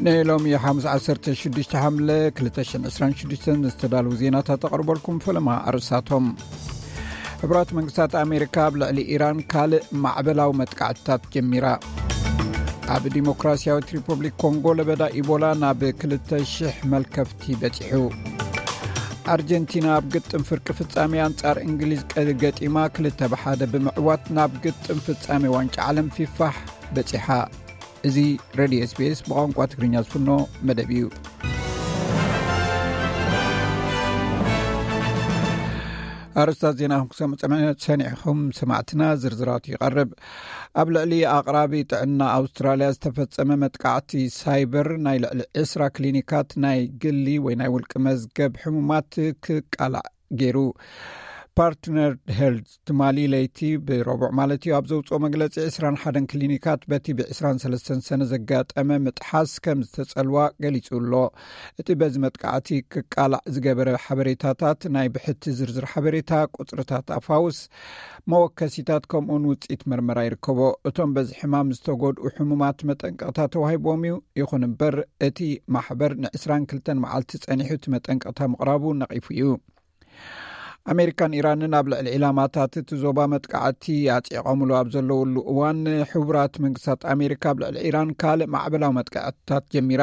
ንሎሚ ሓሙስ ዓሰርተ ሽዱሽተ ሓምለ ክልተ ሽሕን ዕስራን ሽዱሽተን ዝተዳለዉ ዜናታት ኣቕርበልኩም። ፈለማ ኣርእስታቶም። ሕቡራት መንግስታት ኣሜሪካ ኣብ ልዕሊ ኢራን ካልእ ማዕበላዊ መጥቃዕትታት ጀሚራ። ኣብ ዲሞክራሲያዊት ሪፐብሊክ ኮንጎ ለበዳ ኢቦላ ናብ ክልተ ሽሕ መልከፍቲ በጺሑ። ኣርጀንቲና ኣብ ግጥም ፍርቂ ፍጻሜ ኣንጻር እንግሊዝ ቀ-፣ ገጢማ ክልተ ብሓደ ብምዕዋት ናብ ግጥም ፍጻሜ ዋንጫ ዓለም ፊፋ በጺሓ። እዚ ሬድዮ ኤስቢኤስ ብቋንቋ ትግርኛ ዝፍኖ መደብ እዩ። ኣርእስታት ዜና ክሰምዑ ጸመ-፣ ሰኒዕኹም ሰማዕትና፣ ዝርዝራቱ ይቐርብ። ኣብ ልዕሊ ኣቕራቢ ጥዕና ኣውስትራልያ ዝተፈጸመ መጥቃዕቲ ሳይበር ናይ ልዕሊ ዕስራ ክሊኒካት ናይ ግሊ ወይ ናይ ውልቂ መዝገብ ሕሙማት ክቃላዕ ገይሩ። ፓርትነር ሄልዝ ትማሊ ለይቲ ብረቡዕ ማለት እዩ ኣብ ዘውፅኦ መግለፂ ዕስራን ሓደን ክሊኒካት በቲ ብ ዕስራን ሰለስተን ሰነ ዘጋጠመ ምጥሓስ ከም ዝተፀልዋ ገሊፁ ኣሎ። እቲ በዚ መጥቃዕቲ ክቃላዕ ዝገበረ ሓበሬታታት ናይ ብሕቲ ዝርዝር ሓበሬታ፣ ቁፅርታት ኣፋውስ፣ መወከሲታት ከምኡውን ውፅኢት መርመራ ይርከቦ። እቶም በዚ ሕማም ዝተጎድኡ ሕሙማት መጠንቀቕታ ተዋሂቦም እዩ። ይኹን እምበር እቲ ማሕበር ንዕስራን ክልተን መዓልቲ ፀኒሑ እቲ መጠንቀቕታ ምቕራቡ ነቒፉ እዩ። ኣሜሪካን ኢራንን ኣብ ልዕሊ ዒላማታት እቲ ዞባ መጥቃዕቲ ኣጽዒቖምሉ ኣብ ዘለውሉ እዋን፣ ሕቡራት መንግስታት ኣሜሪካ ኣብ ልዕሊ ኢራን ካልእ ማዕበላዊ መጥቃዕትታት ጀሚራ።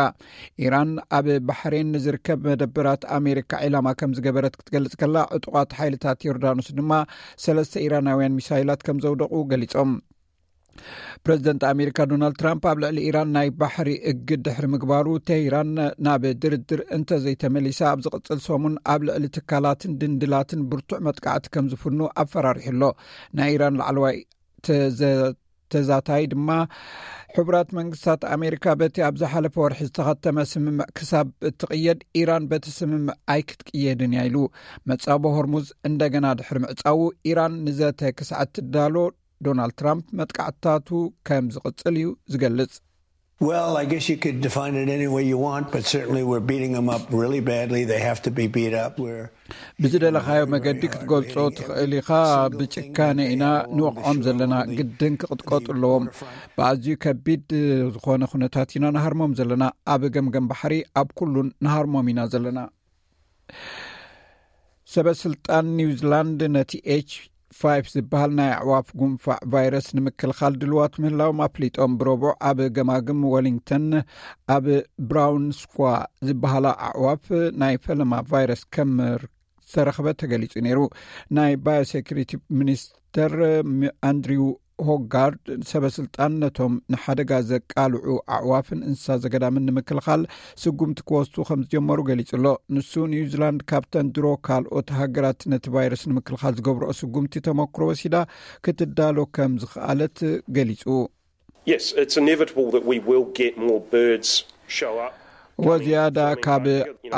ኢራን ኣብ ባሕሬን ንዝርከብ መደበራት ኣሜሪካ ዒላማ ከም ዝገበረት ክትገልጽ ከላ፣ ዕጡቓት ሓይልታት ዮርዳኖስ ድማ ሰለስተ ኢራናውያን ሚሳይላት ከም ዘውደቑ ገሊጾም። ፕረዚደንት ኣሜሪካ ዶናልድ ትራምፕ ኣብ ልዕሊ ኢራን ናይ ባሕሪ እግድ ድሕሪ ምግባሩ፣ ቴህራን ናብ ድርድር እንተዘይተመሊሳ፣ ኣብ ዝቕጽል ሰሙን ኣብ ልዕሊ ትካላትን ድንድላትን ብርቱዕ መጥቃዕቲ ከም ዝፍኑ ኣፈራሪሑ ኣሎ። ናይ ኢራን ላዕለዋይ ተዘ-፣ ተዛታይ ድማ፣ ሕቡራት መንግስታት ኣሜሪካ በቲ ኣብ ዝሓለፈ ወርሒ ዝተኸተመ ስምምዕ ክሳብ እትቕየድ፣ ኢራን በቲ ስምምዕ ኣይክትቅየድን እያ ኢሉ። መጻቦ ሆርሙዝ እንደገና ድሕሪ ምዕጻዉ፣ ኢራን ንዘተ ክሳዕ እትዳሎ፣ ዶናልድ ትራምፕ መጥቃዕትታቱ ከም ዝቕጽል እዩ ዝገልጽ። Well, I guess you could define it any way you want, but certainly we're beating them up really badly. They have to be beat up. We're ብዝደለኻዮ መገዲ ክትገልጾ ትኽእል ኢኻ። ብጭካነ ኢና ንወቕዖም ዘለና። ግድን ክቕጥቀጡ ኣለዎም። ብኣዝዩ ከቢድ ዝኾነ ኩነታት ኢና ንሃርሞም ዘለና። ኣብ ገምገም ባሕሪ፣ ኣብ ኩሉን ንሃርሞም ኢና ዘለና። ሰበ ስልጣን ኒውዚላንድ ነቲ ኤች ፋይቭ ዝበሃል ናይ ኣዕዋፍ ጉንፋዕ ቫይረስ ንምክልኻል ድልዋት ምህላዎም ኣፍሊጦም። ብረቡዕ ኣብ ገማግም ወሊንግተን ኣብ ብራውን ስኳ ዝበሃላ ኣዕዋፍ ናይ ፈለማ ቫይረስ ከም ዝተረኽበ ተገሊጹ ነይሩ። ናይ ባዮሴኩሪቲ ሚኒስተር ሚ-፣ ኣንድሪው ሆጋርድ፣ ሰበ ስልጣን ነቶም ንሓደጋ ዘቃልዑ ኣዕዋፍን እንስሳ ዘገዳምን ንምክልኻል ስጉምቲ ክወስዱ ከም ዝጀመሩ ገሊጹ ኣሎ። ንሱ፣ ኒውዚላንድ ካብተን ድሮ ካልኦት ሃገራት ነቲ ቫይረስ ንምክልኻል ዝገብርኦ ስጉምቲ ተመክሮ ወሲዳ ክትዳሎ ከም ዝኽኣለት ገሊጹ። Yes, it's inevitable that we will get more birds show up ወዝያዳ ካብ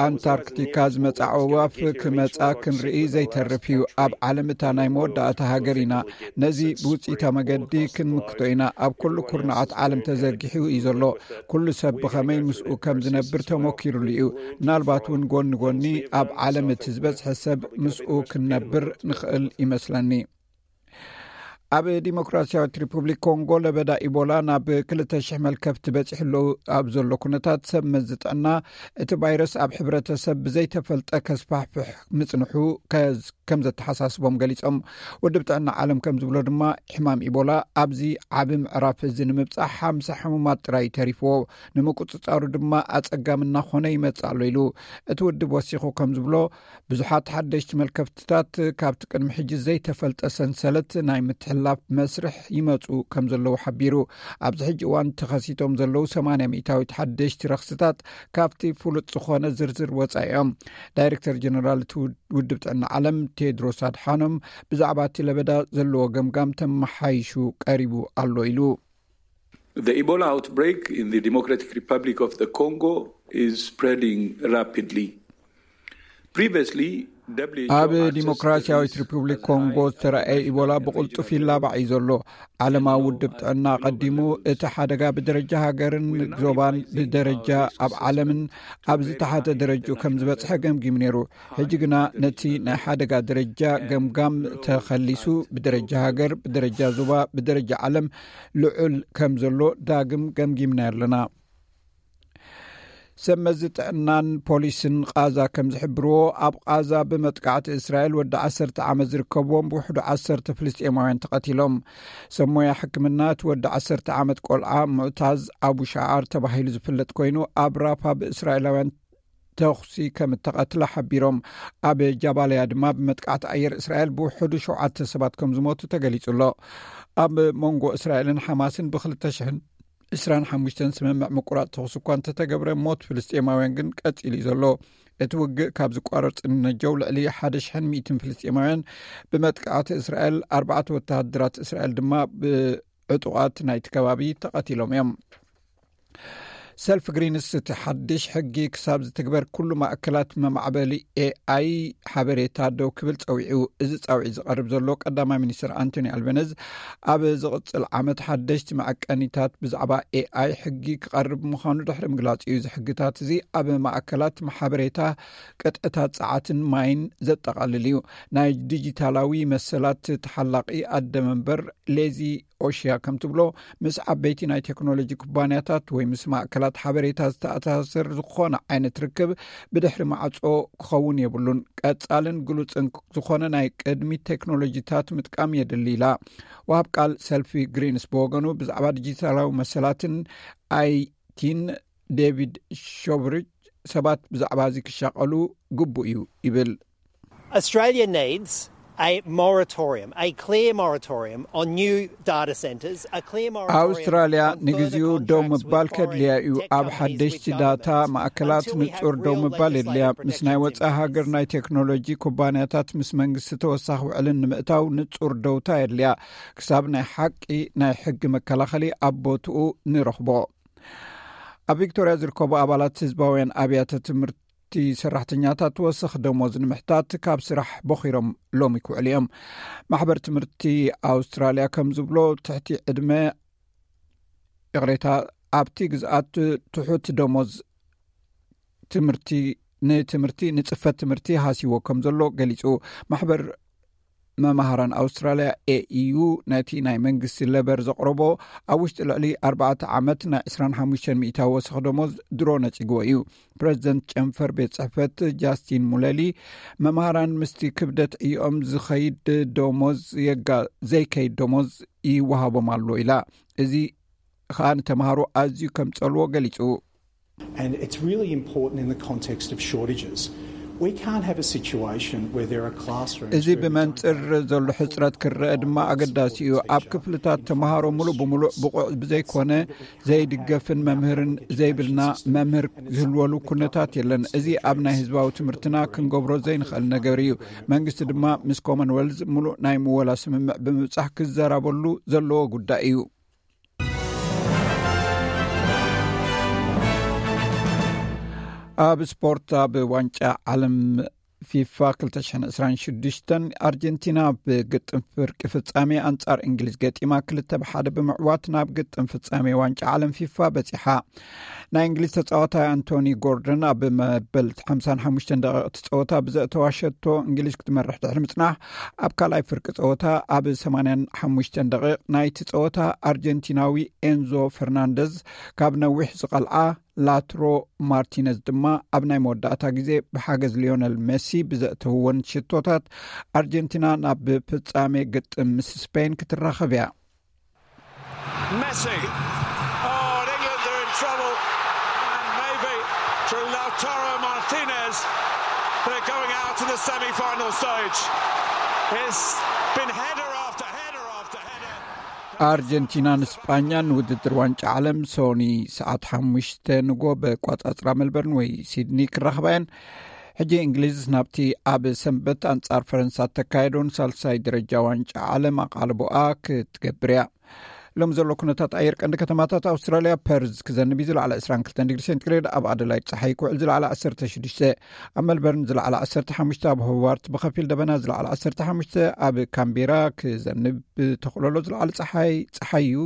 ኣንታርክቲካ ዝመጻ ኣዕዋፍ ክመጻ ክንርኢ ዘይተርፍ እዩ። ኣብ ዓለም እታ ናይ መወዳእታ ሃገር ኢና። ነዚ ብውጽኢታዊ መገዲ ክንምክቶ ኢና። ኣብ ኩሉ ኩርናዓት ዓለም ተዘርጊሑ እዩ ዘሎ። ኩሉ ሰብ ብኸመይ ምስኡ ከም ዝነብር ተመኪሩሉ እዩ። ምናልባት እውን ጎኒ ጎኒ ኣብ ዓለም እቲ ዝበዝሐ ሰብ ምስኡ ክንነብር ንኽእል ይመስለኒ። ኣብ ዲሞክራሲያዊት ሪፑብሊክ ኮንጎ ለበዳ ኢቦላ ናብ ክልተ ሽሕ መልከፍቲ በጺሑ ኣሎ። ኣብ ዘሎ ኩነታት ሰብ መዚ ጥዕና፣ እቲ ቫይረስ ኣብ ሕብረተሰብ ብዘይተፈልጠ ከስፋሕፍሕ ምጽንሑ ከዝ-፣ ከም ዘተሓሳስቦም ገሊጾም። ውድብ ጥዕና ዓለም ከም ዝብሎ ድማ፣ ሕማም ኢቦላ ኣብዚ ዓቢ ምዕራፍ እዚ ንምብጻሕ ሓምሳ ሕሙማት ጥራይ ተሪፍዎ። ንምቁጽጻሩ ድማ ኣጸጋሚ እናኾነ ይመጽእ ኣሎ ኢሉ። እቲ ውድብ ወሲኹ ከም ዝብሎ፣ ብዙሓት ሓደሽቲ መልከፍትታት ካብቲ ቅድሚ ሕጂ ዘይተፈልጠ ሰንሰለት ናይ ምትሕልላፍ መስርሕ ይመጹ ከም ዘለዉ ሓቢሩ። ኣብዚ ሕጂ እዋን ተኸሲቶም ዘለዉ ሰማንያ ሚእታዊት ሓደሽቲ ረኽስታት ካብቲ ፍሉጥ ዝኾነ ዝርዝር ወጻኢ እዮም። ዳይሬክተር ጀነራል እቲ ውድ-፣ ውድብ ጥዕና ዓለም ቴድሮስ ኣድሓኖም ብዛዕባ እቲ ለበዳ ዘለዎ ገምጋም ተመሓይሹ ቀሪቡ ኣሎ ኢሉ። The Ebola outbreak in the Democratic Republic of the Congo is spreading rapidly. Previously, W H O ኣብ had ዲሞክራሲያዊት ሪፑብሊክ ኮንጎ ዝተረኣየ ኢቦላ ብቕልጡፍ ይላባዕ እዩ ዘሎ። ዓለማዊ ውድብ ጥዕና ኣቐዲሙ እቲ ሓደጋ ብደረጃ ሃገርን ዞባን ብደረጃ ኣብ ዓለምን ኣብ ዝተሓተ ደረጃ ከም ዝበጽሐ ገምጊሙ ነይሩ። ሕጂ ግና ነቲ ናይ ሓደጋ ደረጃ ገምጋም ተኸሊሱ፣ ብደረጃ ሃገር፣ ብደረጃ ዞባ፣ ብደረጃ ዓለም ልዑል ከም ዘሎ ዳግም ገምጊምና ኣለና። ሰብ መዚ ጥዕናን ፖሊስን ቓዛ ከም ዝሕብርዎ፣ ኣብ ቓዛ ብመጥቃዕቲ እስራኤል ወዲ ዓሰርተ ዓመት ዝርከብዎም ብውሕዱ ዓሰርተ ፍልስጤማውያን ተቐቲሎም። ሰብ ሞያ ሕክምና እቲ ወዲ ዓሰርተ ዓመት ቆልዓ ሙዕታዝ ኣቡ ሻዓር ተባሂሉ ዝፍለጥ ኮይኑ፣ ኣብ ራፋ ብእስራኤላውያን ተኹሲ ከም እተቐትለ ሓቢሮም። ኣብ ጃባልያ ድማ ብመጥቃዕቲ ኣየር እስራኤል ብውሕዱ ሸውዓተ ሰባት ከም ዝሞቱ ተገሊጹ ኣሎ። ኣብ መንጎ እስራኤልን ሓማስን ብ ክልተ ሽሕን ዕስራን ሓሙሽተን ስምምዕ ምቁራጽ ተኹሲ እኳ እንተተገብረ፣ ሞት ፍልስጤማውያን ግን ቀጺሉ እዩ ዘሎ። እቲ ውግእ ካብ ዝቋረጽ ንነጀው ልዕሊ ሓደ ሽሕን ሚእትን ፍልስጤማውያን ብመጥቃዕቲ እስራኤል፣ ኣርባዕተ ወተሃደራት እስራኤል ድማ ብዕጡቓት ናይቲ ከባቢ ተቐቲሎም እዮም። ሰልፍ ግሪንስ እቲ ሓድሽ ሕጊ ክሳብ ዝትግበር ኩሉ ማእከላት መማዕበሊ ኤኣይ ሓበሬታ ደው ክብል ጸዊዑ። እዚ ጻውዒት ዝቐርብ ዘሎ ቀዳማይ ሚኒስትር ኣንቶኒ ኣልበነዝ ኣብ ዝቕጽል ዓመት ሓደሽቲ መዐቀኒታት ብዛዕባ ኤኣይ ሕጊ ክቐርብ ምዃኑ ድሕሪ ምግላጽ እዩ። እዚ ሕግታት እዚ ኣብ ማእከላት ሓበሬታ፣ ቅጥዕታት ጸዓትን ማይን ዘጠቓልል እዩ። ናይ ዲጂታላዊ መሰላት ተሓላቒ ኣደ መንበር ሌዚ ኦሽያ ከም ትብሎ፣ ምስ ዓበይቲ ናይ ቴክኖሎጂ ኩባንያታት ወይ ምስ ማእከላት ሓበሬታ ዝተኣሳሰር ዝኾነ ዓይነት ርክብ ብድሕሪ ማዕጾ ክኸውን የብሉን። ቀጻልን ግሉጽን ዝኾነ ናይ ቅድሚ ቴክኖሎጂታት ምጥቃም የድሊ ኢላ። ወሃብ ቃል ሰልፊ ግሪንስ ብወገኑ ብዛዕባ ዲጂታላዊ መሰላትን ኣይቲን ዴቪድ ሾብሪጅ ሰባት ብዛዕባ እዚ ክሻቐሉ ግቡእ እዩ ይብል። Australia needs a moratorium, a clear moratorium on new data centres, a clear moratorium ኣውስትራልያ ንግዚኡ ደው ምባል ከድልያ እዩ። ኣብ ሓደሽቲ ዳታ ማእከላት ንጹር ደው ምባል የድልያ። ምስ ናይ ወጻኢ ሃገር ናይ ቴክኖሎጂ ኩባንያታት ምስ መንግስቲ ተወሳኺ ውዕልን ንምእታው ንጹር ደውታ የድልያ። ክሳብ ናይ ሓቂ ናይ ሕጊ መከላኸሊ ኣብ ቦትኡ ንረኽቦ። ኣብ ቪክቶርያ ዝርከቡ ኣባላት ህዝባውያን ኣብያተ ትምህርቲ ሰራሕተኛታት ወሰኽ ደሞዝ ንምሕታት ካብ ስራሕ ቦኺሮም ሎሚ ክውዕሉ እዮም። ማሕበር ትምህርቲ ኣውስትራልያ ከም ዝብሎ፣ ትሕቲ ዕድመ፣ ይቕሬታ፣ ኣብቲ ግዝኣት ትሑት ደሞዝ ትምህርቲ ንትምህርቲ ንጽፈት ትምህርቲ ሃሲዎ ከም ዘሎ ገሊጹ። ማሕበር መማህራን ኣውስትራልያ ኤኢዩ ነቲ ናይ መንግስቲ ለበር ዘቕረቦ ኣብ ውሽጢ ልዕሊ ኣርባዕተ ዓመት ናይ ዕስራን ሓሙሽተን ሚእታዊ ወሰኽ ደሞዝ ድሮ ነጺግዎ እዩ። ፕረዚደንት ጨንፈር ቤት ጽሕፈት ጃስቲን ሙለሊ፣ መማህራን ምስቲ ክብደት ዕዮኦም ዝኸይድ ደሞዝ የጋ-፣ ዘይከይድ ደሞዝ ይወሃቦም ኣሎ ኢላ። እዚ ኸኣ ንተምሃሮ ኣዝዩ ከም ጸልዎ ገሊጹ። And it's really important in the context of shortages. We can't have a situation where there are classrooms እዚ where we don't ብመንጽር ዘሎ ሕጽረት ክረአ ድማ ኣገዳሲ እዩ። ኣብ ክፍልታት ተምሃሮ ሙሉእ ብሙሉእ ብቑዕ ብዘይኮነ ዘይድገፍን መምህርን ዘይብልና መምህር ዝህልወሉ ኩነታት የለን። እዚ ኣብ ናይ ህዝባዊ ትምህርትና ክንገብሮ ዘይንኽእል ነገር እዩ። መንግስቲ ድማ ምስ ኮመንወልዝ ሙሉእ ናይ ምወላ ስምምዕ ብምብጻሕ ክዘራበሉ ዘለዎ ጉዳይ እዩ። ኣብ ስፖርት፣ ኣብ ዋንጫ ዓለም ፊፋ ክልተ ሽሕን ዕስራን ሽዱሽተን ኣርጀንቲና ብግጥም ፍርቂ ፍጻሜ ኣንጻር እንግሊዝ ገጢማ ክልተ ብሓደ ብምዕዋት ናብ ግጥም ፍጻሜ ዋንጫ ዓለም ፊፋ በጺሓ። ናይ እንግሊዝ ተጻዋታይ ኣንቶኒ ጎርደን ኣብ መበል ሓምሳን ሓሙሽተን ደቂቕ እቲ ጸወታ ብዘእተዋ ሸቶ እንግሊዝ ክትመርሕ ድሕሪ ምጽናሕ፣ ኣብ ካልኣይ ፍርቂ ጸወታ ኣብ ሰማንያን ሓሙሽተን ደቂቕ ናይቲ ጸወታ ኣርጀንቲናዊ ኤንዞ ፈርናንደዝ ካብ ነዊሕ ዝቐልዓ ላትሮ ማርቲነዝ ድማ ኣብ ናይ መወዳእታ ግዜ ብሓገዝ ሊዮነል ሜሲ ብዘእተውወን ሽቶታት ኣርጀንቲና ናብ ፍጻሜ ግጥም ምስ ስፔን ክትራኸብ እያ። Messi. Oh, and England are in trouble. And maybe through Lautaro Martinez, they're going out in the semi-final stage. It's been header after header after header. ኣርጀንቲናን ስጳኛን ውድድር ዋንጫ ዓለም ሶኒ ሰዓት ሓሙሽተ ንጎ በቋጻጽራ ሜልበርን ወይ ሲድኒ ክራኸባ እየን። ሕጂ እንግሊዝ ናብቲ ኣብ ሰንበት ኣንጻር ፈረንሳ እተካየዶን ሳልሳይ ደረጃ ዋንጫ ዓለም ኣቓልቦኣ ክትገብር እያ። ሎም ዘሎ ኩነታት ኣየር ቀንዲ ከተማታት ኣውስትራልያ፣ ፐርዝ ክዘንብ እዩ፣ ዝለዓለ ዕስራን ክልተን ዲግሪ ሴንቲግሬድ፣ ኣብ ኣደላይድ ጸሓይ ክውዕል፣ ዝለዓለ ዓሰርተ ሽዱሽተ፣ ኣብ ሜልበርን ዝለዓለ ዓሰርተ ሓሙሽተ፣ ኣብ ሆባርት ብኸፊል ደበና፣ ዝለዓለ ዓሰርተ ሓሙሽተ፣ ኣብ ካምቤራ ክዘንብ ተኽእሎ ኣሎ፣ ዝለዓለ ጸሓይ ጸሓይ እዩ፣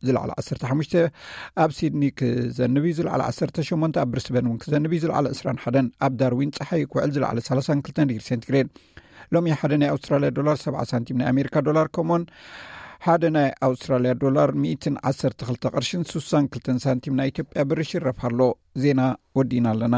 ዝለዓለ ዓሰርተ ሓሙሽተ፣ ኣብ ሲድኒ ክዘንብ እዩ፣ ዝለዓለ ዓሰርተ ሸሞንተ፣ ኣብ ብሪስበን እውን ክዘንብ እዩ፣ ዝለዓለ ዕስራን ሓደን፣ ኣብ ዳርዊን ጸሓይ ክውዕል፣ ዝለዓለ ሰላሳን ክልተን ዲግሪ ሴንቲግሬድ። ሎሚ ሓደ ናይ ኣውስትራልያ ዶላር ሰብዓ ሳንቲም ናይ ኣሜሪካ ዶላር ከምኡውን ሓደ ናይ ኣውስትራልያ ዶላር ሚእትን ዓሰርተ ክልተ ቅርሽን ስሳን ክልተን ሳንቲም ናይ ኢትዮጵያ ብር ይሽረፍ ኣሎ። ዜና ወዲና ኣለና።